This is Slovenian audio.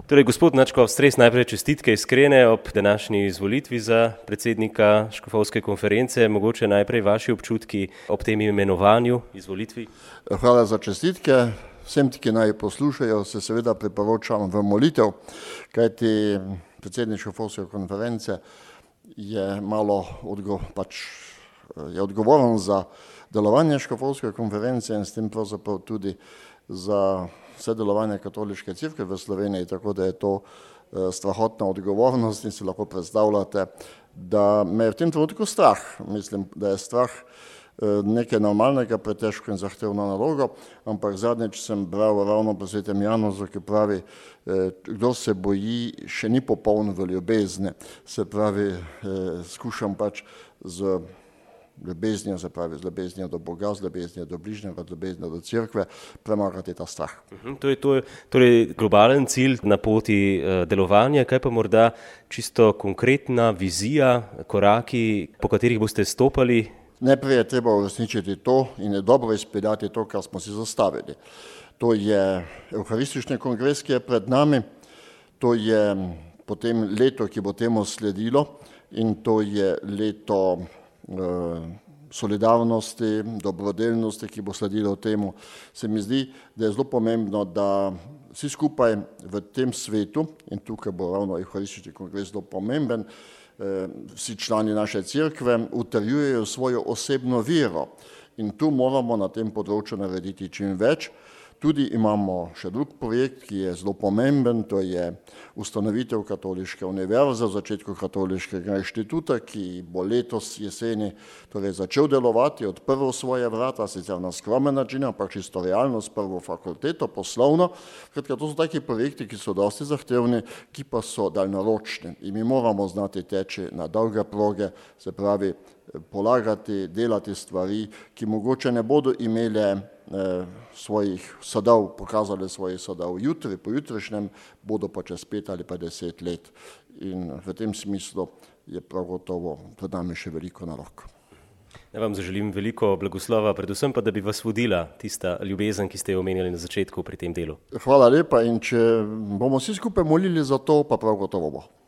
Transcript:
Torej, gospod Nadškof Stres, najprej čestitke iskrene ob današnji izvolitvi za predsednika škofovske konference. Mogoče najprej vaši občutki ob tem imenovanju, izvolitvi. Hvala za čestitke. Vsem, ki naj poslušajo, se seveda priporočam v molitev, kajti predsednik škofovske konference je odgovoren za delovanje škofovske konference in s tem pravzaprav tudi za vse delovanje katoliške cerkve v Sloveniji, tako da je to strahotna odgovornost in si lahko predstavljate, da me je v tem trenutku strah. Mislim, da je strah nekaj normalnega, pretežko in zahtevno nalogo, ampak zadnjič sem bral ravno po svetem Januzu, ki pravi, kdo se boji, še ni popoln v ljubezni. Se pravi, skušam pač z ljubeznijo, se pravi z ljubeznijo do Boga, z ljubeznijo do bližnjega, z ljubeznijo do cerkve, premagati ta strah. To je torej globalen cilj na poti delovanja, kaj pa morda čisto konkretna vizija, koraki, po katerih boste stopali? Najprej je treba uresničiti to in je dobro izpeljati to, kar smo si zastavili. To je Evharistični kongres, ki je pred nami, to je potem leto, ki bo temu sledilo, in to je leto solidarnosti, dobrodelnosti, ki bo sledilo temu. Se mi zdi, da je zelo pomembno, da vsi skupaj v tem svetu, in tukaj bo ravno Evharistični kongres zelo pomemben, vsi člani naše cerkve utrjujejo svojo osebno vero in tu moramo na tem področju narediti čim več. Tudi imamo še drug projekt, ki je zelo pomemben, to je ustanovitev Katoliške univerze v začetku Katoliškega inštituta, ki bo letos jeseni torej začel delovati, odprl svoje vrata, sicer na skromen način, ampak čisto realno s prvo fakulteto, poslovno. Kratka, to so taki projekti, ki so dosti zahtevni, ki pa so daljnoročni in mi moramo znati teči na dolge proge, se pravi polagati, delati stvari, ki mogoče ne bodo imele svojih sadov, pokazali svojih sadov jutri, pojutrišnjem, bodo pa čez 5 ali pa 10 let. In v tem smislu je prav gotovo pred nami še veliko nalog. Ja vam zaželim veliko blagoslova, predvsem pa, da bi vas vodila tista ljubezen, ki ste jo omenjali na začetku pri tem delu. Hvala lepa in če bomo vsi skupaj molili za to, pa prav gotovo bo.